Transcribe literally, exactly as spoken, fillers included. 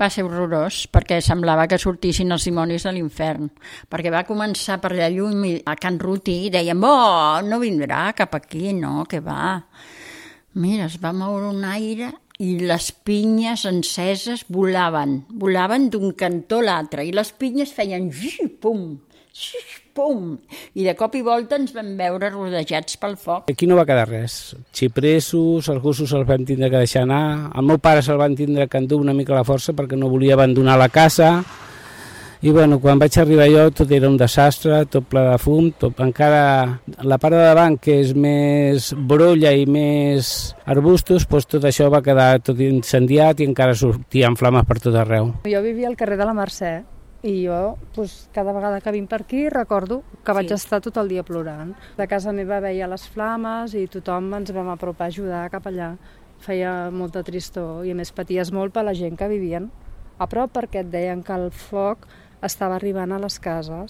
Va ser horrorós, perquè semblava que sortissin els dimonis de l'infern, perquè va començar per allà lluny a Can Ruti i deien, oh, no vindrà cap aquí, no, que va. Mira, es va moure un aire i les pinyes enceses volaven, volaven d'un cantó a l'altre, i les pinyes feien pum, pum, i de cop i volta ens vam veure rodejats pel foc. Aquí no va quedar res. Xipresos, els gossos els vam tindre que deixar anar, el meu pare se'l van tindre que endur una mica la força perquè no volia abandonar la casa, i bueno, quan vaig arribar jo tot era un desastre, tot ple de fum, tot, encara la part de davant que és més brolla i més arbustos, doncs tot això va quedar tot incendiat i encara sortien flames per tot arreu. Jo vivia al carrer de la Mercè i jo doncs, cada vegada que vinc per aquí recordo que vaig sí. estar tot el dia plorant. De casa meva veia les flames i tothom ens vam apropar a ajudar cap allà. Feia molta tristor i a més paties molt per la gent que vivien a prop perquè et deien que el foc estava arribant a les cases.